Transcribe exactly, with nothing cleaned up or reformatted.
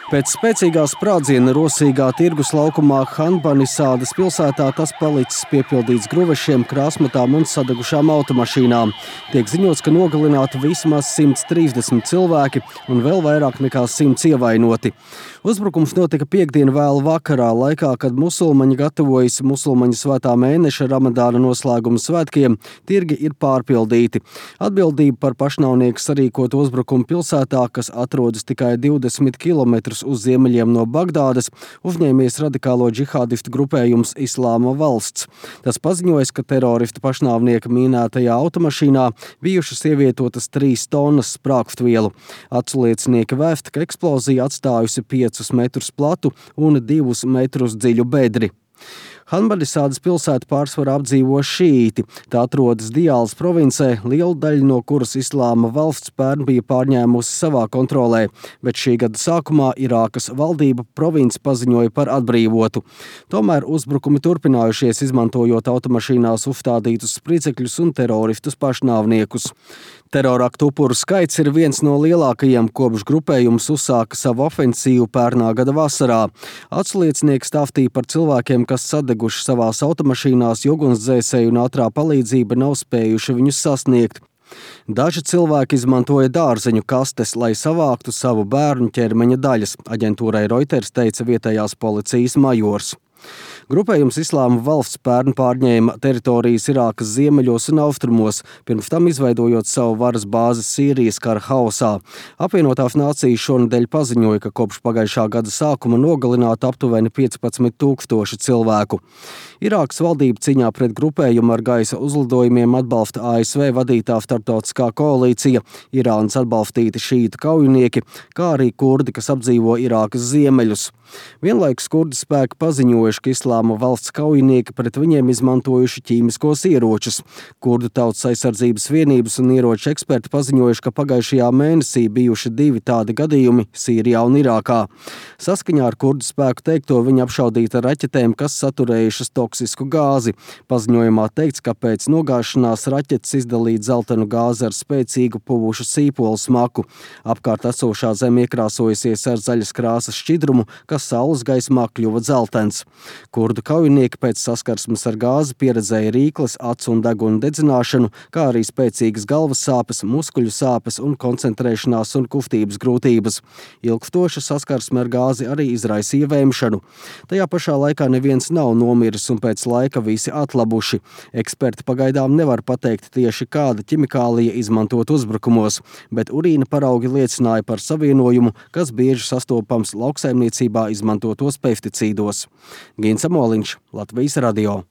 Pēc spēcīgā sprādziena rosīgā tirgus laukumā Hanbanisādas pilsētā tas palicis piepildīts gruvešiem, krāsmatām un sadegušām automašīnām. Tiek ziņots, ka nogalināti vismaz simt trīsdesmit cilvēki un vēl vairāk nekā simts ievainoti. Uzbrukums notika piektdien vēlu vakarā, laikā, kad musulmaņi gatavojas musulmaņu svētā mēneša Ramadāna noslēguma svētkiem, tirgi ir pārpildīti. Atbildība par pašnāvnieku sarīkotu uzbrukumu pilsētā, kas atrodas tikai divdesmit kilometrus uz ziemeļiem no Bagdādas, uzņēmies radikālo džihādistu grupējums Islāma valsts. Tas paziņojas, ka teroristu pašnāvnieka mīnētajā automašīnā bijušas ievietotas trīs tonnas sprāgstvielu. Aculiecinieki vēst, ka eksplozija atstājusi piecus metrus platu un divus metrus dziļu bedri. Hanbanisādas pilsētu pārsvarā apdzīvo šīiti. Tā atrodas Diālas provincē, liela daļa no kuras Islāma valsts pērn bija pārņēmusi savā kontrolē, bet šī gada sākumā Irākas valdība provinci paziņoja par atbrīvotu. Tomēr uzbrukumi turpinājušies, izmantojot automašīnās uzstādītus spridzekļus un teroristus pašnāvniekus. Teroraktu upuru skaits ir viens no lielākajiem, kopš grupējums uzsāka savu ofensīvu pērnā gada vasarā. Aculiecinieki stāstīja par cilvēkiem, kas sadeguši savās automašīnās, jo ugunsdzēsēju un ātrā palīdzība nav spējuši viņus sasniegt. Daži cilvēki izmantoja dārzeņu kastes, lai savāktu savu bērnu ķermeņa daļas, aģentūrai Reuters teica vietējās policijas majors. Grupējums Islāma valsts pērn pārņēma teritorijas Irākas ziemeļos un austrumos, pirms tam izveidojot savu varas bāzi Sīrijas kara haosā. Apvienotās nācijas šonedēļ paziņoja, ka kopš pagājušā gada sākuma nogalināta aptuveni piecpadsmit tūkstoši cilvēku. Irākas valdība cīņā pret grupējumu ar gaisa uzlidojumiem atbalsta A S V vadītā starptautiskā koalīcija, Irānas atbalstīti šītu kaujinieki, kā arī kurdi, kas apdzīvo Irākas ziemeļus. Vienlaikus kurdi spēki paziņojuši, ka Islāma valsts kaujinieki pret viņiem izmantojuši ķīmiskos ieročus. Kurdu tautas aizsardzības vienības un ieroču eksperti paziņojuši, ka pagājušajā mēnesī bijuši divi tādi gadījumi Sīrijā un Irākā. Saskaņā ar kurdu spēku teikto, viņi apšaudīti ar raķetēm, kas saturējušas toksisku gāzi. Paziņojumā teikts, ka pēc nogāšanās raķetes izdalīja dzeltenu gāzi ar spēcīgu puvušu sīpolu smaku. Apkārt esošā zeme iekrāsojusies ar zaļas krāsas šķidrumu, kas saules gaismā kļuva dzeltens. Kurdu kaujinieki pēc saskarsmes ar gāzi pieredzēja rīkles, acu un deguna dedzināšanu, kā arī spēcīgas galvas sāpes, muskuļu sāpes un koncentrēšanās un kustības grūtības. Ilgstoša saskarsme ar gāzi arī izraisīja vēmšanu. Tajā pašā laikā neviens nav nomiris un pēc laika visi atlabuši. Eksperti pagaidām nevar pateikt tieši kāda ķimikālija izmantot uzbrukumos, bet urīna paraugi liecināja par savienojumu, kas bieži sastopams lauksaimniecībā izmantotos pesticīdos. Gins Amoliņš, Latvijas radio.